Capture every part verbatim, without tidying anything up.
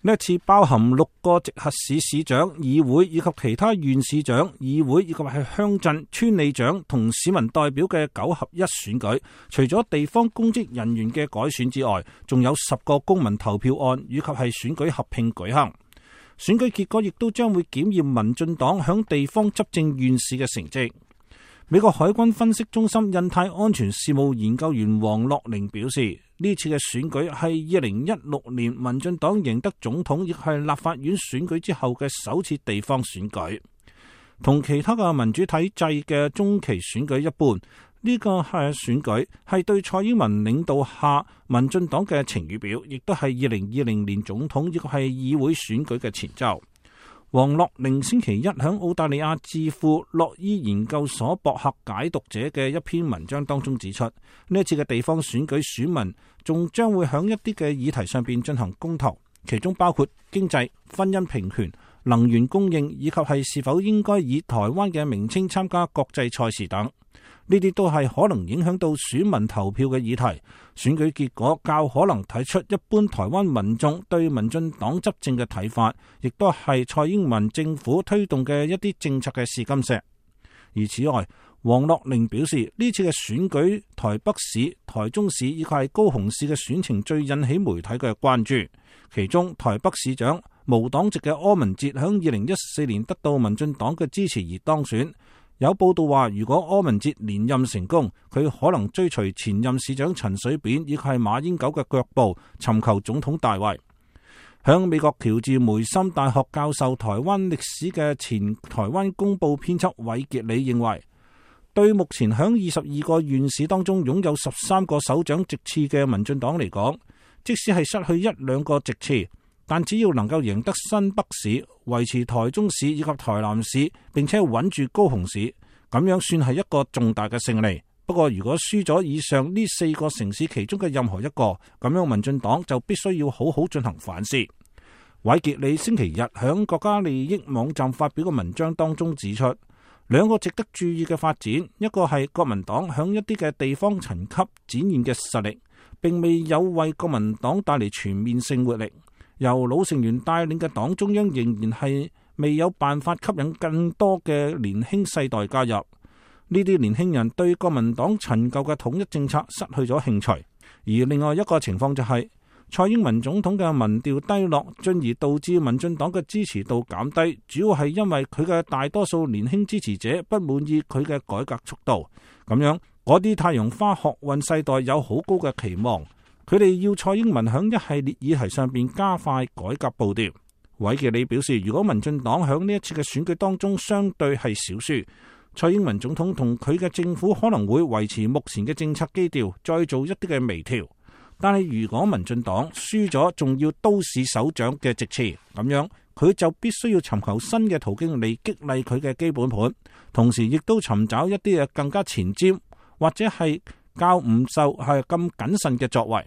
呢一次包含六個直轄市市長、議會以及其他縣市長、議會以及係鄉鎮、村里長同市民代表嘅九合一選舉，除咗地方公職人員嘅改選之外，仲有十個公民投票案以及係選舉合併舉行。選舉結果亦都將會檢驗民進黨響地方執政縣市嘅成績。美國海軍分析中心印太安全事務研究員黃樂寧表示，呢次嘅選舉係二零一六年民進黨贏得總統亦係立法院選舉之後嘅首次地方選舉，同其他嘅民主體制嘅中期選舉一般，呢、這個係選舉係對蔡英文領導下民進黨嘅晴雨表，亦都係二零二零年總統亦係議會選舉嘅前奏。黃樂寧星期一響澳大利亞智庫洛伊研究所博客解讀者嘅一篇文章當中指出，呢一次嘅地方選舉選民仲將會響一啲嘅議題上邊進行公投，其中包括經濟、婚姻平權、能源供應以及係是否應該以台灣嘅名稱參加國際賽事等。呢啲都係可能影響到選民投票嘅議題，選舉結果較可能睇出一般台灣民眾對民進黨執政嘅睇法，亦都係蔡英文政府推動嘅一啲政策嘅試金石。而此外，黃樂寧表示，呢次嘅選舉台北市、台中市以及係高雄市嘅選情最引起媒體嘅關注，其中台北市長無黨籍嘅柯文哲響二零一四年得到民進黨嘅支持而當選。有報道話，如果柯文哲連任成功，佢可能追隨前任市長陳水扁以及係馬英九嘅腳步，尋求總統大位。響美國喬治梅森大學教授台灣歷史嘅前台灣公報編輯韋傑里認為，對目前響二十二個縣市當中擁有十三個首長席次嘅民進黨嚟講，即使係失去一兩個席次，但只要能夠贏得新北市、維持台中市以及台南市，並且穩住高雄市，咁樣算係一個重大嘅勝利。不過如果輸咗以上呢四個城市其中嘅任何一個，咁樣民進黨就必須要好好進行反思。韋傑里星期日響國家利益網站發表嘅文章當中指出，兩個值得注意嘅發展，一個係國民黨響一啲嘅地方層級展現嘅實力，並未有為國民黨帶嚟全面性活力。由老成員帶領嘅黨中央仍然係未有辦法吸引更多嘅年輕世代加入，呢啲年輕人對國民黨陳舊嘅統一政策失去咗興趣。而另外一個情況就係、是、蔡英文總統嘅民調低落，進而導致民進黨嘅支持度減低，主要係因為佢嘅大多數年輕支持者不滿意佢嘅改革速度。咁樣嗰啲太陽花學運世代有好高嘅期望，佢哋要蔡英文響一系列議題上邊加快改革步調。韋傑里表示，如果民進黨響呢一次嘅選舉當中相對係少輸，蔡英文總統同佢嘅政府可能會維持目前嘅政策基調，再做一啲嘅微調。但係如果民進黨輸咗，仲要都市首長嘅席次，咁樣佢就必須要尋求新嘅途徑嚟激勵佢嘅基本盤，同時亦都尋找一啲嘅更加前瞻或者係較唔受係咁謹慎嘅作為。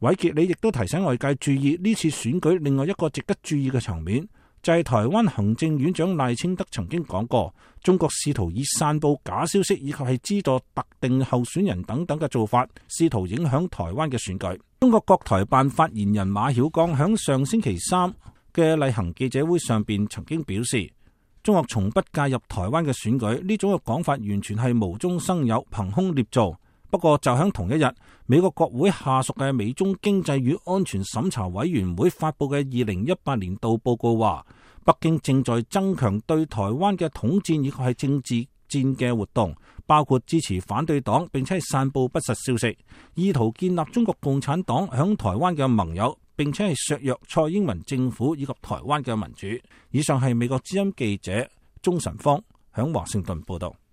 韋傑里亦都提醒外界注意呢次選舉另外一個值得注意嘅場面，就係、是、台灣行政院長賴清德曾經講過，中國試圖以散布假消息以及係資助特定候選人等等嘅做法，試圖影響台灣嘅選舉。中國國台辦發言人馬曉光響上星期三嘅例行記者會上邊曾經表示，中國從不介入台灣嘅選舉，呢種嘅講法完全係無中生有、憑空捏造。不過就喺同一日，美國國會下屬嘅美中經濟與安全審查委員會發佈嘅二零一八年度報告話，北京正在增強對台灣嘅統戰以及係政治戰嘅活動，包括支持反對黨，並且係散布不實消息，意圖建立中國共產黨響台灣嘅盟友，並且係削弱蔡英文政府以及台灣嘅民主。以上係美國之音記者鍾晨芳響華盛頓報道。